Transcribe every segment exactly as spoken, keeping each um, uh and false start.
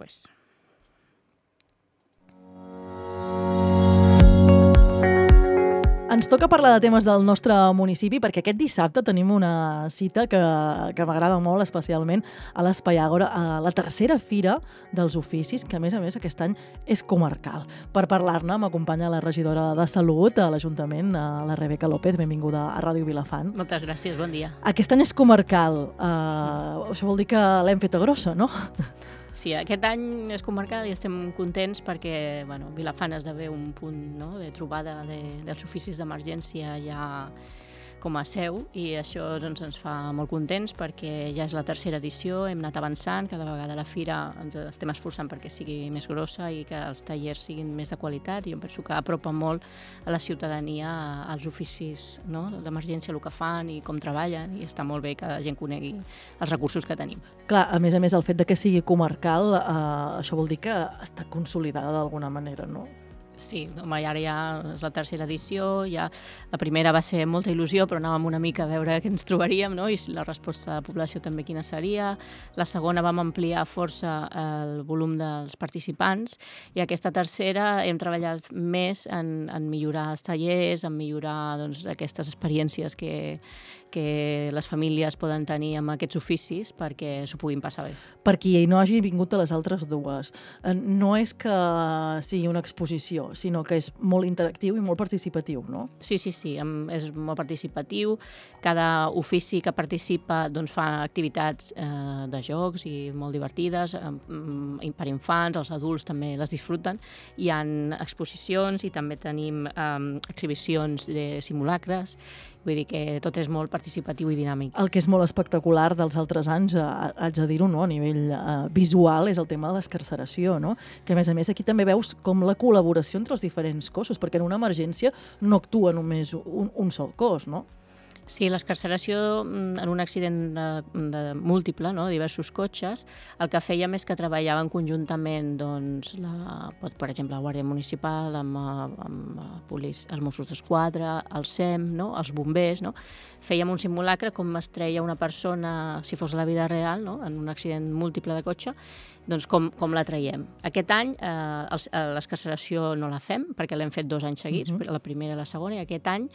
després. Ens toca parlar de temes del nostre municipi perquè aquest dissabte tenim una cita que, que m'agrada molt, especialment a l'Espai Àgora, a la tercera fira dels oficis, que a més a més aquest any és comarcal. Per parlar-ne m'acompanya la regidora de Salut a l'Ajuntament, la Rebeca López. Benvinguda a Ràdio Vilafant. Moltes gràcies, bon dia. Aquest any és comarcal. Uh, això vol dir que l'hem feta grossa, no? Sí, aquest any és comarcal i estem contents perquè bueno, Vilafant esdevé un punt, no?, de trobada de, dels oficis d'emergència ja com a seu, i això doncs, ens fa molt contents perquè ja és la tercera edició, hem anat avançant, cada vegada la fira ens estem esforçant perquè sigui més grossa i que els tallers siguin més de qualitat, i jo penso que apropa molt a la ciutadania als oficis, no?, d'emergència, el que fan i com treballen, i està molt bé que la gent conegui els recursos que tenim. Clar, a més a més, el fet de que sigui comarcal, eh, això vol dir que està consolidada d'alguna manera, no? Sí, home, ara ja és la tercera edició, ja la primera va ser molta il·lusió, però anàvem una mica a veure què ens trobaríem, no?, i la resposta de la població també quina seria. La segona vam ampliar força el volum dels participants, i aquesta tercera hem treballat més en, en millorar els tallers, en millorar doncs, aquestes experiències que, que les famílies poden tenir amb aquests oficis perquè s'ho puguin passar bé. Per qui no hagi vingut a les altres dues, no és que sigui una exposició, sinó que és molt interactiu i molt participatiu, no? Sí, sí, sí, és molt participatiu. Cada ofici que participa doncs, fa activitats eh, de jocs i molt divertides, eh, per infants, els adults també les disfruten. Hi ha exposicions i també tenim eh, exhibicions de simulacres. Vull dir que tot és molt participatiu i dinàmic. El que és molt espectacular dels altres anys, eh, haig de dir-ho, no?, a nivell eh, visual, és el tema de l'escarceració, no?, que a més a més aquí també veus com la col·laboració entre els diferents cossos, perquè en una emergència no actua només un, un sol cos, no? Sí, l'escarceració en un accident de, de múltiple, no?, de diversos cotxes, el que fèiem és que treballaven conjuntament, doncs, la, per exemple, la Guàrdia Municipal, amb, amb polic, els Mossos d'Esquadra, el SEM, no?, els bombers, no? Fèiem un simulacre com es treia una persona, si fos la vida real, no?, en un accident múltiple de cotxe, doncs com, com la traiem. Aquest any eh, l'escarceració no la fem, perquè l'hem fet dos anys seguits, uh-huh. la primera i la segona, i aquest any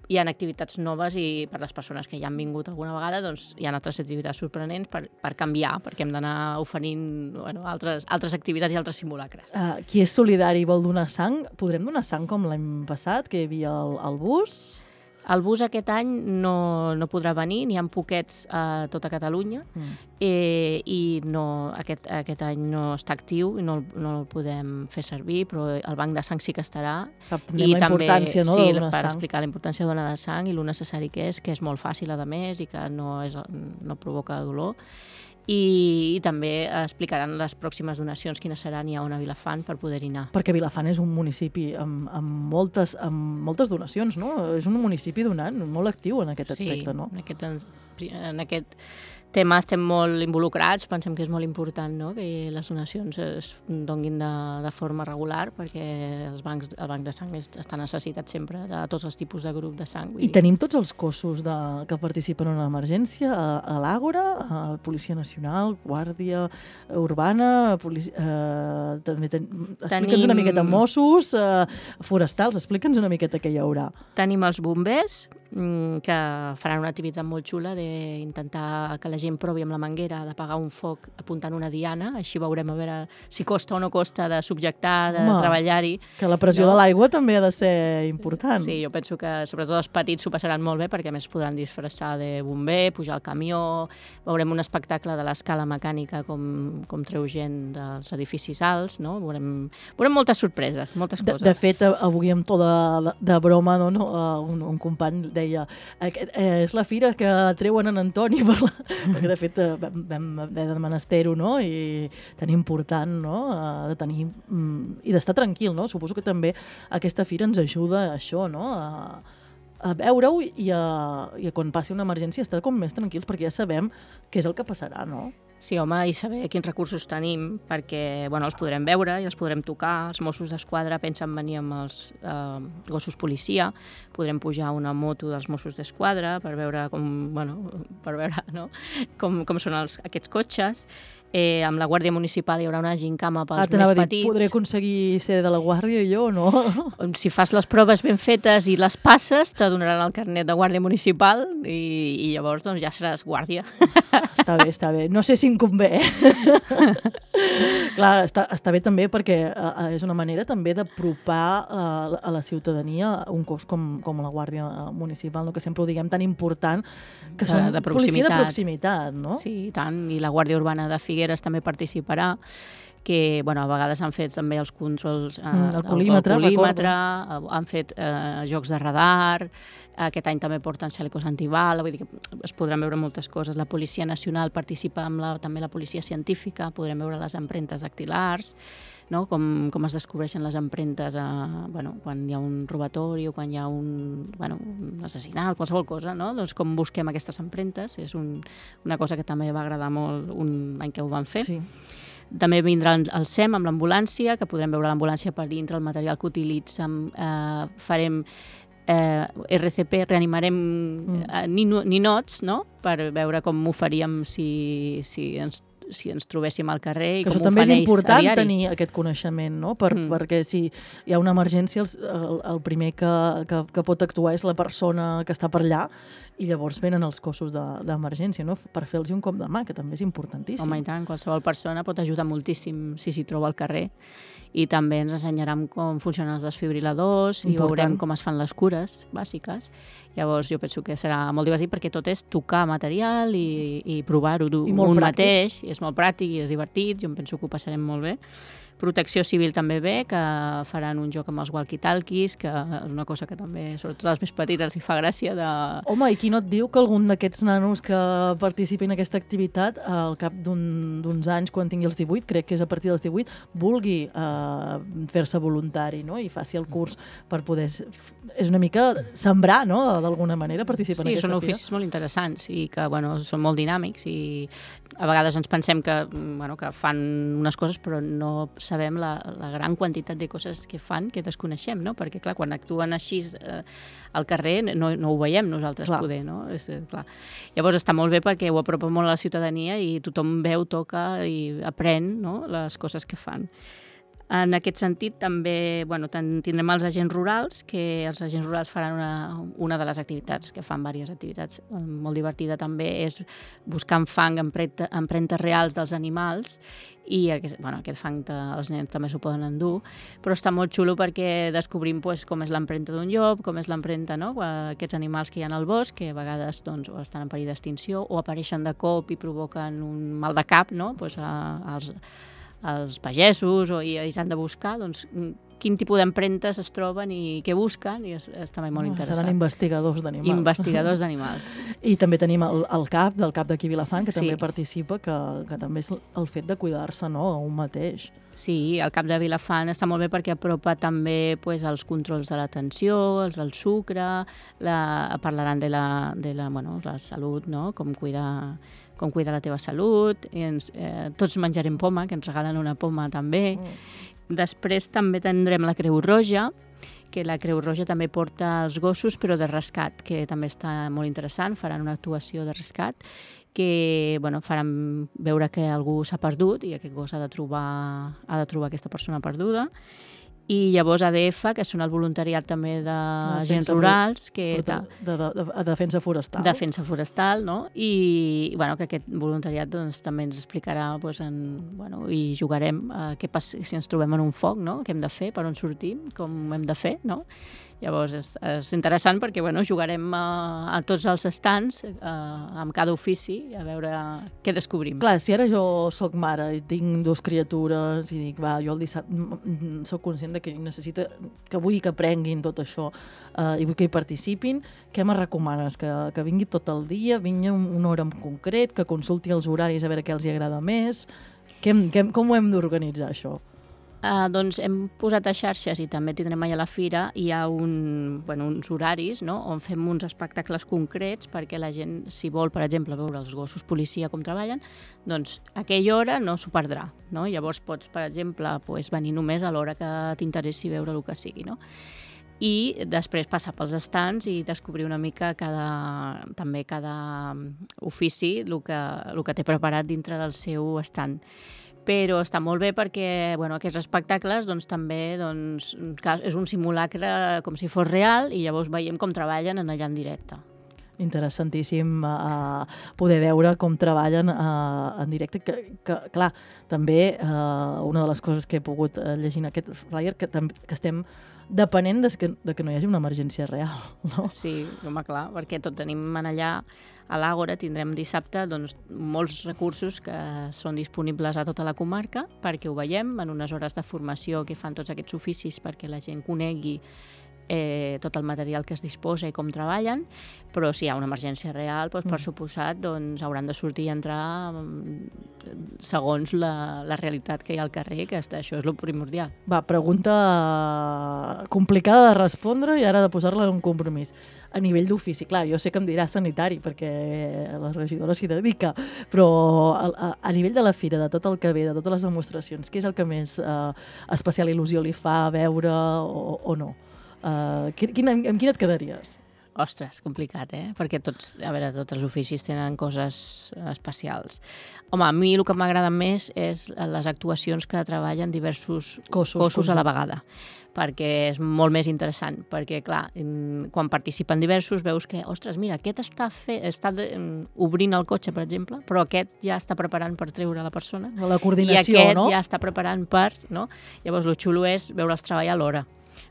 hi ha activitats noves, i per les persones que ja han vingut alguna vegada doncs, hi ha altres activitats sorprenents per, per canviar, perquè hem d'anar oferint bueno, altres, altres activitats i altres simulacres. Uh, qui és solidari i vol donar sang, podrem donar sang com l'any passat, que hi havia el, el bus? El bus aquest any no, no podrà venir, n'hi ha poquets a tota Catalunya, mm. eh, i no, aquest, aquest any no està actiu i no, no el podem fer servir, però el banc de sang sí que estarà. I la també, importància, no, sí, de donar per sang. Explicar la importància de donar de sang i el necessari que és, que és molt fàcil a més i que no, és, no provoca dolor. I, i també explicaran les pròximes donacions quines seran i a on a Vilafant per poder-hi anar. Perquè Vilafant és un municipi amb, amb, moltes, amb moltes donacions, no? És un municipi donant, molt actiu en aquest aspecte, sí, no? Sí, en aquest, en aquest tema estem molt involucrats, pensem que és molt important, no?, que les donacions es donguin de, de forma regular, perquè els bancs, el banc de sang està necessitat sempre de tots els tipus de grup de sang. I tenim tots els cossos de, que participen en una emergència, a, a l'Àgora, a Policia Nacional, Guàrdia Urbana, policia, eh, també ten, explica'ns Tenim... una miqueta Mossos, eh, forestals, explica'ns una miqueta què hi haurà. Tenim els bombers, que faran una activitat molt xula d'intentar que la gent provi amb la manguera d'apagar un foc apuntant una diana, així veurem a veure si costa o no costa de subjectar, de Home, treballar-hi. Que la pressió no? de l'aigua també ha de ser important. Sí, jo penso que sobretot els petits s'ho passaran molt bé perquè a més podran disfressar de bomber, pujar al camió, veurem un espectacle de l'escala mecànica com, com treu gent dels edificis alts, no? Veurem, veurem moltes sorpreses, moltes coses. De, de fet, avui amb to de, de broma, no, no, un, un company deia, eh, és la fira que treuen en Antoni per la... perquè de fet vam, vam haver de menester-ho, no? I tan important, no? De tenir i d'estar tranquil, no? Suposo que també aquesta fira ens ajuda a això, no? A, a veure-ho i a, i a quan passi una emergència estar com més tranquils perquè ja sabem què és el que passarà, no? Sí, home, i saber quins recursos tenim, perquè bueno, els podrem veure i els podrem tocar. Els Mossos d'Esquadra pensen venir amb els eh, gossos policia, podrem pujar una moto dels Mossos d'Esquadra per veure com, bueno, per veure, no? com, com són els, aquests cotxes. Eh, amb la Guàrdia Municipal hi haurà una gincama pels ah, més dir, petits. Podré aconseguir ser de la Guàrdia jo o no? Si fas les proves ben fetes i les passes, te donaran el carnet de Guàrdia Municipal i, i llavors doncs, ja seràs guàrdia. Està bé, està bé. No sé si em convé. Eh? Clar, està, està bé també perquè uh, és una manera també d'apropar uh, a la ciutadania un cos com, com la Guàrdia Municipal, no? Que sempre ho diguem tan important, que de, són de policia de proximitat, no? Sí, i tant. I la Guàrdia Urbana de Figueres també participarà, que bueno, a vegades han fet també els controls, eh, mm, el colímetre, el, el colímetre han fet eh, jocs de radar, aquest any també porten xalecos antibala, vull dir que es podran veure moltes coses. La Policia Nacional participa amb la, també la policia científica, podrem veure les empremtes dactilars, no? com, com es descobreixen les empremtes a, bueno, quan hi ha un robatori o quan hi ha un, bueno, un assassinat, qualsevol cosa, no? Doncs com busquem aquestes empremtes, és un, una cosa que també va agradar molt un any que ho van fer. Sí. També vindrà el S E M amb l'ambulància, que podrem veure l'ambulància per dintre, el material que utilitzem, eh, farem eh, R C P, reanimarem mm. eh, ninots, no?, per veure com ho faríem si, si ens si ens trobéssim al carrer i que com ho fan ells a diari. això també és important tenir aquest coneixement, no? Per, mm. perquè si hi ha una emergència el, el, el primer que, que, que pot actuar és la persona que està per allà i llavors venen els cossos d'emergència, no? Per fer-los un cop de mà, que també és importantíssim. Home, i tant, qualsevol persona pot ajudar moltíssim si s'hi troba al carrer. I també ens ensenyaran com funcionen els desfibriladors i veurem com es fan les cures bàsiques. Llavors jo penso que serà molt divertit perquè tot és tocar material i, i provar-ho un mateix. I és molt pràctic i és divertit, jo em penso que ho passarem molt bé. Protecció Civil també ve, que faran un joc amb els walkie-talkies, que és una cosa que també, sobretot als més petits, els hi fa gràcia de... Home, i qui no et diu que algun d'aquests nanos que participin en aquesta activitat, al cap d'uns un, anys, quan tingui els divuit, crec que és a partir dels divuit, vulgui uh, fer-se voluntari, no?, i faci el curs per poder... És una mica sembrar, no?, d'alguna manera, participar sí, en aquesta són fira. Oficis molt interessants i que, bueno, són molt dinàmics i a vegades ens pensem que, bueno, que fan unes coses però no sabem la, la gran quantitat de coses que fan que desconeixem, no? Perquè, clar, quan actuen així eh, al carrer no, no ho veiem nosaltres clar. Poder, no? És, clar. Llavors està molt bé perquè ho apropa molt a la ciutadania i tothom veu, toca i aprèn, no?, les coses que fan. En aquest sentit, també bueno, tindrem els agents rurals, que els agents rurals faran una, una de les activitats, que fan diverses activitats molt divertida també, és buscant fang, empremtes reals dels animals, i aquest, bueno, aquest fang te, els nens també s'ho poden endur, però està molt xulo perquè descobrim pues, com és l'empremta d'un llop, com és l'empremta, no?, aquests animals que hi ha al bosc, que a vegades doncs, o estan en perill d'extinció o apareixen de cop i provoquen un mal de cap, no?, pues, a, als els pagesos o, i ells han de buscar doncs, quin tipus d'empremtes es troben i què busquen, i és, és també molt interessant. Seran investigadors d'animals. Investigadors d'animals. I també tenim el, el CAP, del CAP d'aquí Vilafant, que sí. també participa, que, que també és el fet de cuidar-se, no?, a un mateix. Sí, el CAP de Vilafant està molt bé perquè apropa també pues, els controls de l'atenció, els del sucre, la, parlaran de la, de la, bueno, la salut, no?, com cuidar com cuidar la teva salut, i ens, eh, tots menjarem poma, que ens regalen una poma també. Mm. Després també tindrem la Creu Roja, que la Creu Roja també porta els gossos, però de rescat, que també està molt interessant, faran una actuació de rescat, que bueno, faran veure que algú s'ha perdut i aquest gos ha de trobar, ha de trobar aquesta persona perduda. I llavors A D F, que són el voluntariat també d'agents rurals, que de, de, de, de defensa forestal. Defensa forestal, no? I bueno, que aquest voluntariat doncs, també ens explicarà doncs, en, bueno, i jugarem uh, què passa si ens trobem en un foc, no?, què hem de fer, per on sortim, com hem de fer, no? Llavors és, és interessant perquè bueno, jugarem a, a tots els estants eh, amb cada ofici a veure què descobrim. Clar, si ara jo sóc mare i tinc dues criatures i dic, va, jo el dissabte sóc conscient de que necessito, que vull que aprenguin tot això eh, i vull que hi participin, què me recomanes? Que, que vingui tot el dia, vingui una hora en concret, que consulti els horaris a veure què els hi agrada més? Que, que, com ho hem d'organitzar, això? Uh, doncs hem posat a xarxes i també tindrem allà a la fira, hi ha un, bueno, uns horaris, no?, on fem uns espectacles concrets perquè la gent, si vol, per exemple, veure els gossos policia com treballen, doncs a aquella hora no s'ho perdrà, no? Llavors pots, per exemple, pues, venir només a l'hora que t'interessi veure el que sigui, no? i després passar pels estants i descobrir una mica cada, també cada ofici el que, el que té preparat dintre del seu estand. Però està molt bé perquè bueno, aquests espectacles doncs, també doncs, és un simulacre com si fos real i llavors veiem com treballen en allà en directe. Interessantíssim uh, poder veure com treballen uh, en directe, que, que clar, també uh, una de les coses que he pogut uh, llegir en aquest flyer, que, que estem depenent de que, de que no hi hagi una emergència real, no? Sí, home, clar, perquè tot tenim en allà a l'Àgora, tindrem dissabte doncs, molts recursos que són disponibles a tota la comarca perquè ho veiem en unes hores de formació que fan tots aquests oficis perquè la gent conegui eh, tot el material que es disposa i com treballen, però si hi ha una emergència real, doncs, per suposat, doncs, hauran de sortir i entrar segons la, la realitat que hi ha al carrer, que això és el primordial. Va, pregunta complicada de respondre i ara de posar-la en un compromís. A nivell d'ofici, clar, jo sé que em dirà sanitari perquè la regidora s'hi dedica, però a, a, a nivell de la fira, de tot el que ve, de totes les demostracions, què és el que més eh, especial il·lusió li fa veure o, o no? Uh, quin, amb, amb quin et quedaries? Ostres, complicat, eh? Perquè tots, a veure, tots els oficis tenen coses especials. Home, a mi el que m'agrada més és les actuacions que treballen diversos cossos, cossos a la vegada, perquè és molt més interessant, perquè, clar, quan participen diversos veus que, ostres, mira, aquest està, fe... està de... obrint el cotxe, per exemple, però aquest ja està preparant per treure la persona. La coordinació, i aquest no? ja està preparant per... No? Llavors, el xulo és veure'ls treballar alhora,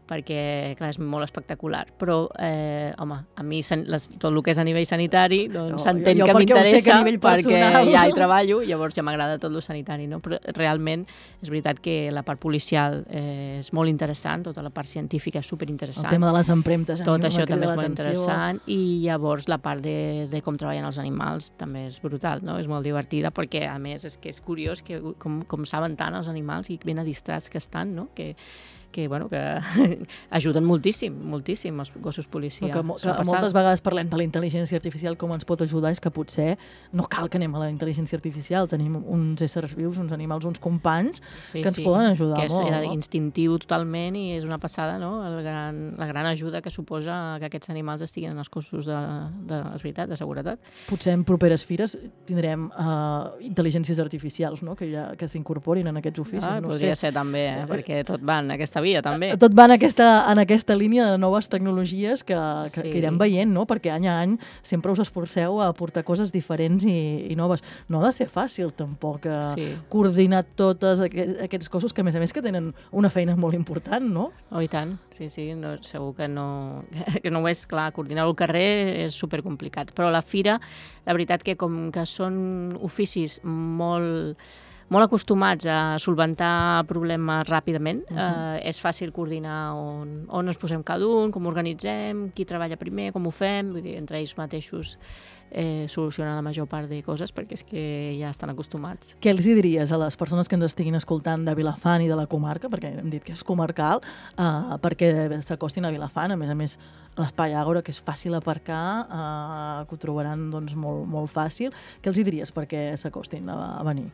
perquè, clar, és molt espectacular. Però, eh, home, a mi les, tot el que és a nivell sanitari doncs s'entén no, que m'interessa perquè, perquè ja hi treballo, llavors ja m'agrada tot el sanitari, no? Però realment és veritat que la part policial eh, és molt interessant, tota la part científica és superinteressant. El tema de les empremtes. Tot això també és molt interessant i llavors la part de, de com treballen els animals també és brutal, no? És molt divertida perquè, a més, és que és curiós que, com, com saben tant els animals i ben adistrats que estan, no? Que que, bueno, que ajuden moltíssim, moltíssim els gossos policia. Que, que moltes vegades parlem de la intel·ligència artificial, com ens pot ajudar, és que potser no cal que anem a la intel·ligència artificial, tenim uns éssers vius, uns animals, uns companys sí, que ens sí, poden ajudar que és, molt. Que és instintiu totalment i és una passada, no? El gran, la gran ajuda que suposa que aquests animals estiguin en els cossos de, de, és veritat, de seguretat. Potser en properes fires tindrem uh, intel·ligències artificials, no? Que, ja, que s'incorporin en aquests oficis. Ah, no podria sé. ser també, eh? Perquè tot va en aquesta via, també. Tot va en aquesta, en aquesta línia de noves tecnologies que, que, sí. que irem veient, no? Perquè any a any sempre us esforceu a aportar coses diferents i, i noves. No ha de ser fàcil, tampoc, sí. coordinar tots aquests, aquests cossos que, a més a més, que tenen una feina molt important, no? Oh, i tant, sí, sí, no, segur que no, que no ho és, clar, coordinar el carrer és supercomplicat. Però la fira, la veritat que com que són oficis molt... molt acostumats a solventar problemes ràpidament. Uh -huh. eh, és fàcil coordinar on, on ens posem cada un, com organitzem, qui treballa primer, com ho fem, vull dir, entre ells mateixos eh, solucionar la major part de coses perquè és que ja estan acostumats. Què els diries a les persones que ens estiguin escoltant de Vilafant i de la comarca, perquè hem dit que és comarcal, eh, perquè s'acostin a Vilafant, a més a més l'espai Àgora, que és fàcil aparcar, eh, que ho trobaran doncs, molt, molt fàcil. Què els diries perquè s'acostin a, a venir?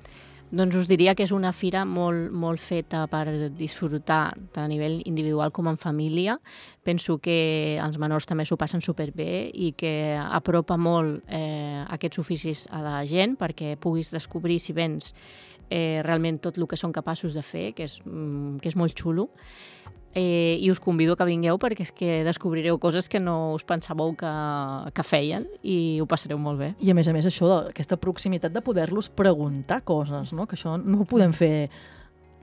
Doncs us diria que és una fira molt, molt feta per disfrutar tant a nivell individual com en família. Penso que els menors també s'ho passen superbé i que apropa molt eh, aquests oficis a la gent perquè puguis descobrir, si vens, eh, realment tot el que són capaços de fer, que és, que és molt xulo. Eh, i us convido que vingueu perquè és que descobrireu coses que no us pensàveu que, que feien i ho passareu molt bé. I a més a més això, aquesta proximitat de poder-los preguntar coses, no? Que això no ho podem fer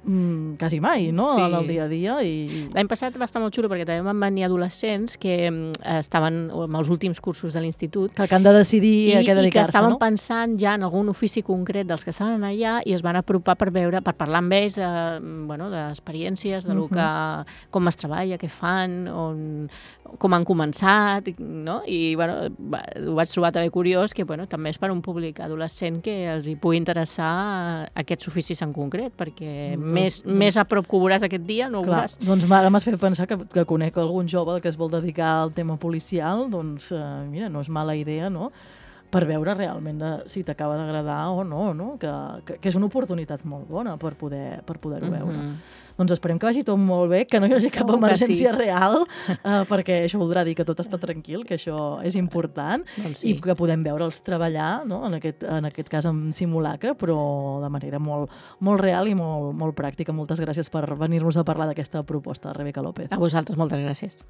mm, quasi mai, no? Sí. En el dia a dia. I... L'any passat va estar molt xulo perquè també van venir adolescents que eh, estaven amb els últims cursos de l'institut que, que han de decidir i, a què dedicar-se, no? I que estaven pensant ja en algun ofici concret dels que estaven allà i es van apropar per veure, per parlar amb ells eh, bueno, d'experiències, de lo que, com es treballa, què fan, on, com han començat, no? I bueno, va, ho vaig trobar també curiós que bueno, també és per un públic adolescent que els hi pugui interessar aquests oficis en concret, perquè mm. Més, doncs, més a prop que ho veuràs aquest dia, no ho clar, veuràs. Doncs ara m'has fet pensar que, que conec algun jove que es vol dedicar al tema policial, doncs eh, mira, no és mala idea, no? per veure realment de, si t'acaba d'agradar o no, no? Que, que, que és una oportunitat molt bona per poder per poder-ho mm-hmm. veure. Doncs esperem que vagi tot molt bé, que no hi hagi cap emergència sí. real, uh, perquè això voldrà dir que tot està tranquil, que això és important, doncs sí. i que podem veure'ls treballar, no? en, aquest, en aquest cas en simulacre, però de manera molt, molt real i molt, molt pràctica. Moltes gràcies per venir-nos a parlar d'aquesta proposta, Rebeca López. A vosaltres, moltes gràcies.